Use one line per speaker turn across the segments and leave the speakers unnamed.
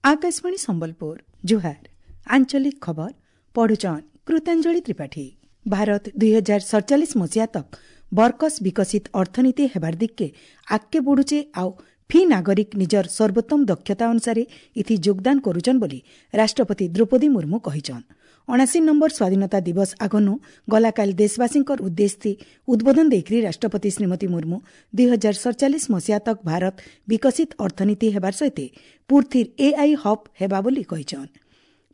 ଆକାଶବାଣୀ ସମ୍ବଲପୁର, ଜୁହାର। ଆଞ୍ଚଳିକ ଖବର ପଢୁଛନ୍ କୃତାଞ୍ଜଳି ତ୍ରିପାଠୀ। ଭାରତ 2047 ମସିହା ତକ୍ ବରକସ୍ ବିକଶିତ ଅର୍ଥନୀତି ହେବାର ଦିଗ୍କେ ଆଗ୍କେ ବଢ଼ୁଛେ ଆଉ ଫି ନାଗରିକ ନିଜର ସର୍ବୋତ୍ତମ ଦକ୍ଷତା ଅନୁସାରେ ଇଥି ଯୋଗଦାନ କରୁଛନ୍ ବୋଲି ରାଷ୍ଟ୍ରପତି ଦ୍ରୌପଦୀ ମୁର୍ମୁ କହିଛନ୍। 79 ନମ୍ବର ସ୍ୱାଧୀନତା ଦିବସ ଆଗନୁ ଗଲାକାଲି ଦେଶବାସୀଙ୍କର ଉଦ୍ଦେଶ୍ୟ ଉଦ୍ବୋଧନ ଦେଇକରି ରାଷ୍ଟ୍ରପତି ଶ୍ରୀମତୀ ମୁର୍ମୁ 2047 ମସିହା ତକ୍ ଭାରତ ବିକଶିତ ଅର୍ଥନୀତି ହେବାର ସହିତ ପୁର୍ଥିର ଏଆଇ ହବ୍ ହେବା ବୋଲି କହିଛନ୍।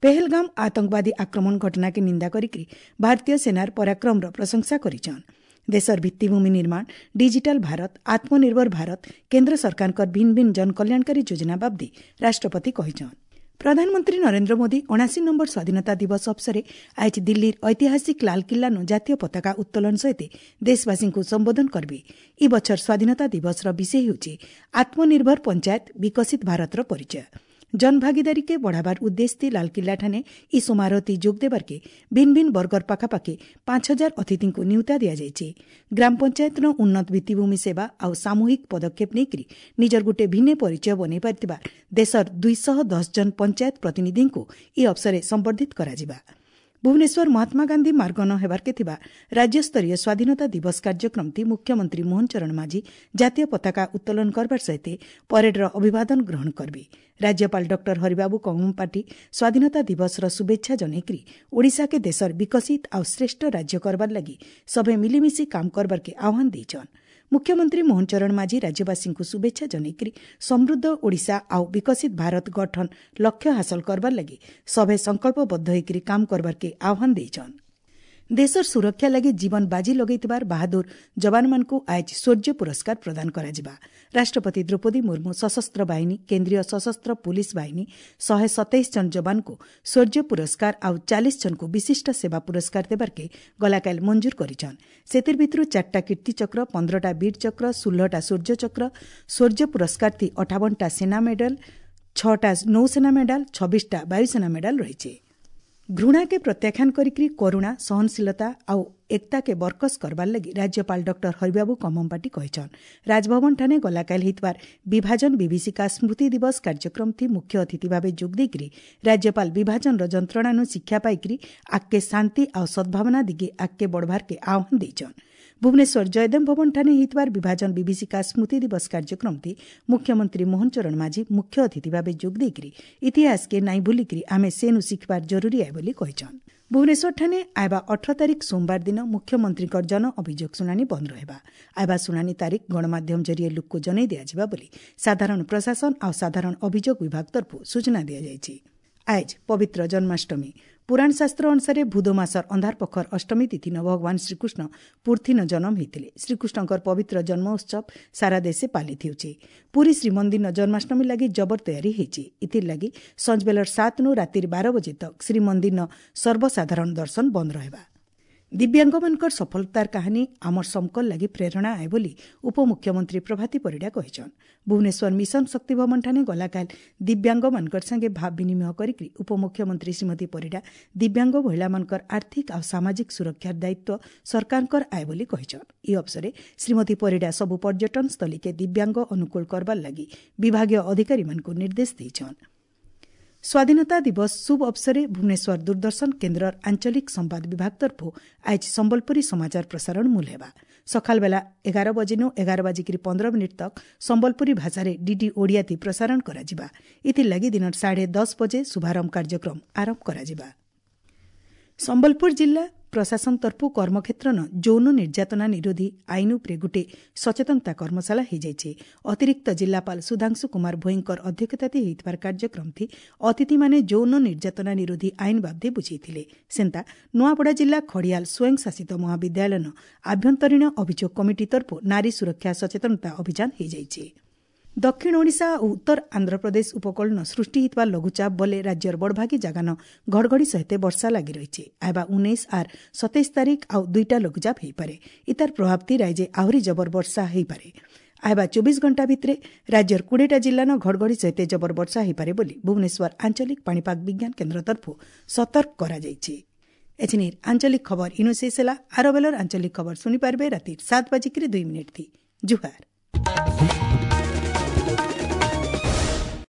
ପେହେଲଗାମ ଆତଙ୍କବାଦୀ ଆକ୍ରମଣ ଘଟଣାକେ ନିନ୍ଦା କରିକି ଭାରତୀୟ ସେନାର ପରାକ୍ରମର ପ୍ରଶଂସା କରିଛନ୍। ଦେଶର ଭିତ୍ତିଭୂମି ନିର୍ମାଣ, ଡିଜିଟାଲ ଭାରତ, ଆତ୍ମନିର୍ଭର ଭାରତ, କେନ୍ଦ୍ର ସରକାରଙ୍କର ଭିନ୍ନ ଭିନ୍ନ ଜନକଲ୍ୟାଣକାରୀ ଯୋଜନା ବାବଦେ ରାଷ୍ଟ୍ରପତି କହିଛନ୍। ପ୍ରଧାନମନ୍ତ୍ରୀ ନରେନ୍ଦ୍ର ମୋଦି 79 ନମ୍ବର ସ୍ୱାଧୀନତା ଦିବସ ଅବସରେ ଆଜି ଦିଲ୍ଲୀର ଐତିହାସିକ ଲାଲକିଲ୍ଲାନୁ ଜାତୀୟ ପତାକା ଉତ୍ତୋଳନ ସହିତ ଦେଶବାସୀଙ୍କୁ ସମ୍ବୋଧନ କରିବେ। ଇ ବଛର ସ୍ୱାଧୀନତା ଦିବସର ବିଷୟ ହେଉଛି ଆତ୍ମନିର୍ଭର ପଞ୍ଚାୟତ, ବିକଶିତ ଭାରତର ପରିଚୟ। ଜନଭାଗିଦାରୀକେ ବଢ଼ାବାର ଉଦ୍ଦେଶ୍ୟ ଲାଲକିଲ୍ଲାଠାନେ ଇ ସମାରୋହତି ଯୋଗ ଦେବାର୍କେ ଭିନ୍ନ ଭିନ୍ନ ବର୍ଗର ପାଖାପାଖି 5000 ଅତିଥିଙ୍କୁ ନିଉତା ଦିଆଯାଇଛି। ଗ୍ରାମ ପଞ୍ଚାୟତର ଉନ୍ନତ ଭିତ୍ତିଭୂମି ସେବା ଆଉ ସାମୂହିକ ପଦକ୍ଷେପ ନେଇକରି ନିଜର ଗୋଟିଏ ଭିନ୍ନ ପରିଚୟ ବନେଇ ପାରିଥିବା ଦେଶର 210 ଜଣ ପଞ୍ଚାୟତ ପ୍ରତିନିଧିଙ୍କୁ ଇ ଅବସରେ ସମ୍ବର୍ଦ୍ଧିତ କରାଯିବା। ଭୁବନେଶ୍ୱର ମହାତ୍ମା ଗାନ୍ଧୀ ମାର୍ଗନ ହେବାର୍କେ ଥିବା ରାଜ୍ୟସ୍ତରୀୟ ସ୍ୱାଧୀନତା ଦିବସ କାର୍ଯ୍ୟକ୍ରମଟି ମୁଖ୍ୟମନ୍ତ୍ରୀ ମୋହନ ଚରଣ ମାଝୀ ଜାତୀୟ ପତାକା ଉତ୍ତୋଳନ କରବାର ସହିତ ପରେଡ୍ର ଅଭିବାଦନ ଗ୍ରହଣ କରିବେ। ରାଜ୍ୟପାଳ ଡକ୍ଟର ହରିବାବୁ କମ୍ଭମପାଟି ସ୍ୱାଧୀନତା ଦିବସର ଶୁଭେଚ୍ଛା ଜଣାଇକରି ଓଡ଼ିଶାକେ ଦେଶର ବିକଶିତ ଆଉ ଶ୍ରେଷ୍ଠ ରାଜ୍ୟ କରବାର ଲାଗି ସଭେ ମିଳିମିଶି କାମ କରବାର୍କେ ଆହ୍ୱାନ ଦେଇଛନ୍। ମୁଖ୍ୟମନ୍ତ୍ରୀ ମୋହନ ଚରଣ ମାଝୀ ରାଜ୍ୟବାସୀଙ୍କୁ ଶୁଭେଚ୍ଛା ଜଣାଇକରି ସମୃଦ୍ଧ ଓଡ଼ିଶା ଆଉ ବିକଶିତ ଭାରତ ଗଠନ ଲକ୍ଷ୍ୟ ହାସଲ କରବାର ଲାଗି ସଭେ ସଂକଳ୍ପବଦ୍ଧ ହୋଇକରି କାମ କରବାର୍କେ ଆହ୍ୱାନ ଦେଇଛନ୍। ଦେଶର ସୁରକ୍ଷା ଲାଗି ଜୀବନ ବାଜି ଲଗାଇଥିବାର ବାହାଦୁର ଯବାନମାନଙ୍କୁ ଆଜ ଶୌର୍ଯ୍ୟ ପୁରସ୍କାର ପ୍ରଦାନ କରାଯିବା। ରାଷ୍ଟ୍ରପତି ଦ୍ରୌପଦୀ ମୁର୍ମୁ ସଶସ୍ତ୍ର ବାହିନୀ, କେନ୍ଦ୍ରୀୟ ସଶସ୍ତ୍ର ପୁଲିସ ବାହିନୀ 127 ଜଣ ଯବାନଙ୍କୁ ଶୌର୍ଯ୍ୟ ପୁରସ୍କାର ଆଉ 40 ଜଣଙ୍କୁ ବିଶିଷ୍ଟ ସେବା ପୁରସ୍କାର ଦେବାର୍କେ ଗଲାକାଲି ମଞ୍ଜୁର କରିଛନ୍। ସେଥିର୍ ଭିତରୁ 4ଟା କୀର୍ତ୍ତିଚକ୍ର, 15ଟା ବୀରଚକ୍ର, 16ଟା ଶୌର୍ଯ୍ୟଚକ୍ର, ଶୌର୍ଯ୍ୟ ପୁରସ୍କାର ଥି 58ଟା ସେନା ମେଡାଲ, 6ଟା ନୌସେନା ମେଡାଲ, 26ଟା ବାୟୁସେନା ମେଡାଲ ରହିଛି। ଘୃଣାକେ ପ୍ରତ୍ୟାଖ୍ୟାନ କରିକି କରୁଣା, ସହନଶୀଳତା ଆଉ ଏକତାକେ ବରକସ୍ କରବାର ଲାଗି ରାଜ୍ୟପାଳ ଡକ୍ଟର ହରିବାବୁ କମ୍ଭମପାଟି କହିଛନ୍। ରାଜଭବନଠାନେ ଗଲାକାଲି ହେଇଥିବାର ବିଭାଜନ ବିଭୀଷିକା ସ୍ମୃତି ଦିବସ କାର୍ଯ୍ୟକ୍ରମଥି ମୁଖ୍ୟ ଅତିଥି ଭାବେ ଯୋଗ ଦେଇକରି ରାଜ୍ୟପାଳ ବିଭାଜନର ଯନ୍ତ୍ରଣାନୁ ଶିକ୍ଷା ପାଇକରି ଆଗ୍କେ ଶାନ୍ତି ଆଉ ସଦ୍ଭାବନା ଦିଗେ ଆଗ୍କେ ବଢ଼ବାର୍କେ ଆହ୍ୱାନ ଦେଇଛନ୍। ଭୁବନେଶ୍ୱର ଜୟଦେବ ଭବନଠାନେ ହେଇଥିବାର ବିଭାଜନ ବିଭୀଷିକା ସ୍ମୃତି ଦିବସ କାର୍ଯ୍ୟକ୍ରମଟି ମୁଖ୍ୟମନ୍ତ୍ରୀ ମୋହନ ଚରଣ ମାଝୀ ମୁଖ୍ୟ ଅତିଥି ଭାବେ ଯୋଗ ଦେଇକରି ଇତିହାସକେ ନାଇଁ ଭୁଲିକରି ଆମେ ସେନୁ ଶିଖିବାର ଜରୁରୀ ଆଏ ବୋଲି କହିଛନ୍। ଭୁବନେଶ୍ୱରଠାନେ ଆଇବା 18 ତାରିଖ ସୋମବାର ଦିନ ମୁଖ୍ୟମନ୍ତ୍ରୀଙ୍କର ଜନ ଅଭିଯୋଗ ଶୁଣାଣି ବନ୍ଦ ରହିବା। ଆଇବା ଶୁଣାଣି ତାରିଖ ଗଣମାଧ୍ୟମ ଜରିଏ ଲୋକକୁ ଜଣାଇ ଦିଆଯିବା ବୋଲି ସାଧାରଣ ପ୍ରଶାସନ ଆଉ ସାଧାରଣ ଅଭିଯୋଗ ବିଭାଗ ତରଫରୁ ସୂଚନା ଦିଆଯାଇଛି। ଆଜ ପବିତ୍ର ଜନ୍ମାଷ୍ଟମୀ। ପୁରାଣ ଶାସ୍ତ୍ର ଅନୁସାରେ ଭୂଦ ମାସର ଅନ୍ଧାର ପଖର ଅଷ୍ଟମୀ ତିଥିନ ଭଗବାନ ଶ୍ରୀକୃଷ୍ଣ ପୁର୍ଥିନ ଜନ୍ମ ହୋଇଥିଲେ। ଶ୍ରୀକୃଷ୍ଣଙ୍କର ପବିତ୍ର ଜନ୍ମ ଉତ୍ସବ ସାରା ଦେଶେ ପାଳିତ ହେଉଛି। ପୁରୀ ଶ୍ରୀମନ୍ଦିର ଜନ୍ମାଷ୍ଟମୀ ଲାଗି ଜବର ତୟାରୀ ହେଇଛି। ଇଥିର୍ ଲାଗି ସଞ୍ଜବେଲର 7ନୁ ରାତିର 12 ବଜେ ତକ୍ ଶ୍ରୀମନ୍ଦିର ସର୍ବସାଧାରଣ ଦର୍ଶନ ବନ୍ଦ ରହିବା। ଦିବ୍ୟାଙ୍ଗମାନଙ୍କର ସଫଳତାର କାହାଣୀ ଆମର ସମକର ଲାଗି ପ୍ରେରଣା ଆଏ ବୋଲି ଉପମୁଖ୍ୟମନ୍ତ୍ରୀ ପ୍ରଭାତୀ ପରିଡ଼ା କହିଛନ୍। ଭୁବନେଶ୍ୱର ମିଶନ ଶକ୍ତି ଭବନଠାନେ ଗଲାକାଲି ଦିବ୍ୟାଙ୍ଗମାନଙ୍କର ସାଙ୍ଗେ ଭାବ ବିନିମୟ କରିକି ଉପମୁଖ୍ୟମନ୍ତ୍ରୀ ଶ୍ରୀମତୀ ପରିଡ଼ା ଦିବ୍ୟାଙ୍ଗ ମହିଳାମାନଙ୍କର ଆର୍ଥିକ ଆଉ ସାମାଜିକ ସୁରକ୍ଷାର ଦାୟିତ୍ୱ ସରକାରଙ୍କର ଆଏ ବୋଲି କହିଛନ୍। ଏହି ଅବସରେ ଶ୍ରୀମତୀ ପରିଡ଼ା ସବୁ ପର୍ଯ୍ୟଟନ ସ୍ଥଳୀକେ ଦିବ୍ୟାଙ୍ଗ ଅନୁକୂଳ କରବାର ଲାଗି ବିଭାଗୀୟ ଅଧିକାରୀମାନଙ୍କୁ ନିର୍ଦ୍ଦେଶ ଦେଇଛନ୍। ସ୍ୱାଧୀନତା ଦିବସ ଶୁଭ ଅବସରେ ଭୁବନେଶ୍ୱର ଦୂରଦର୍ଶନ କେନ୍ଦ୍ରର ଆଞ୍ଚଳିକ ସମ୍ବାଦ ବିଭାଗ ତରଫରୁ ଆଜି ସମ୍ବଲପୁରୀ ସମାଚାର ପ୍ରସାରଣ ମୂଲ ହେବା। ସକାଳ ବେଲା 11 ବଜେନୁ 11:15 ତକ୍ ସମ୍ବଲପୁରୀ ଭାଷାରେ ଡିଡି ଓଡ଼ିଆତି ପ୍ରସାରଣ କରାଯିବା। ଏଥିଲାଗି ଦିନ 10:30 ବଜେ ଶୁଭାରମ୍ଭ କାର୍ଯ୍ୟକ୍ରମ ଆରମ୍ଭ କରାଯିବା। ସମ୍ବଲପୁର ଜିଲ୍ଲା ପ୍ରଶାସନ ତରଫରୁ କର୍ମକ୍ଷେତ୍ରନ ଯୌନ ନିର୍ଯାତନା ନିରୋଧୀ ଆଇନ ଉପରେ ଗୋଟିଏ ସଚେତନତା କର୍ମଶାଳା ହୋଇଯାଇଛି। ଅତିରିକ୍ତ ଜିଲ୍ଲାପାଳ ସୁଧାଂଶୁ କୁମାର ଭୋଇଙ୍କର ଅଧ୍ୟକ୍ଷତାରେ ହୋଇଥିବାର କାର୍ଯ୍ୟକ୍ରମଥି ଅତିଥିମାନେ ଯୌନ ନିର୍ଯାତନା ନିରୋଧୀ ଆଇନ ବାବଦେ ବୁଝାଇଥିଲେ। ସେନ୍ତା ନୂଆପଡ଼ା ଜିଲ୍ଲା ଖଡ଼ିଆଲ ସ୍ୱୟଂଶାସିତ ମହାବିଦ୍ୟାଳୟନ ଆଭ୍ୟନ୍ତରୀଣ ଅଭିଯୋଗ କମିଟି ତରଫରୁ ନାରୀ ସୁରକ୍ଷା ସଚେତନତା ଅଭିଯାନ ହୋଇଯାଇଛି। ଦକ୍ଷିଣ ଓଡ଼ିଶା ଓ ଉତ୍ତର ଆନ୍ଧ୍ରପ୍ରଦେଶ ଉପକୂଳନ ସୃଷ୍ଟି ହୋଇଥିବା ଲଘୁଚାପ ବଲେ ରାଜ୍ୟର ବଡ଼ଭାଗୀ ଜାଗାନ ଘଡ଼ଘଡ଼ି ସହିତ ବର୍ଷା ଲାଗି ରହିଛି। ଆଇବା 19 ଆର୍ 27 ତାରିଖ ଆଉ 2ଟା ଲଘୁଚାପ ହୋଇପାରେ। ଇତାର ପ୍ରଭାବତି ରାଜ୍ୟ ଆହୁରି ଜବର ବର୍ଷା ହୋଇପାରେ। ଆଇବା 24 ଘଣ୍ଟା ଭିତରେ ରାଜ୍ୟର 20ଟା ଜିଲ୍ଲାନ ଘଡ଼ଘଡ଼ି ସହିତ ଜବର ବର୍ଷା ହୋଇପାରେ ବୋଲି ଭୁବନେଶ୍ୱର ଆଞ୍ଚଳିକ ପାଣିପାଗ ବିଜ୍ଞାନ କେନ୍ଦ୍ର ତରଫରୁ ସତର୍କ କରାଯାଇଛି। ଏଥିନିର ଆଞ୍ଚଳିକ ଖବର ଇନୁ ଶେଷ ହେଲା। ଆର ବେଲର ଆଞ୍ଚଳିକ ଖବର ଶୁଣିପାରିବେ ରାତି 7:02। ଜୁହାର।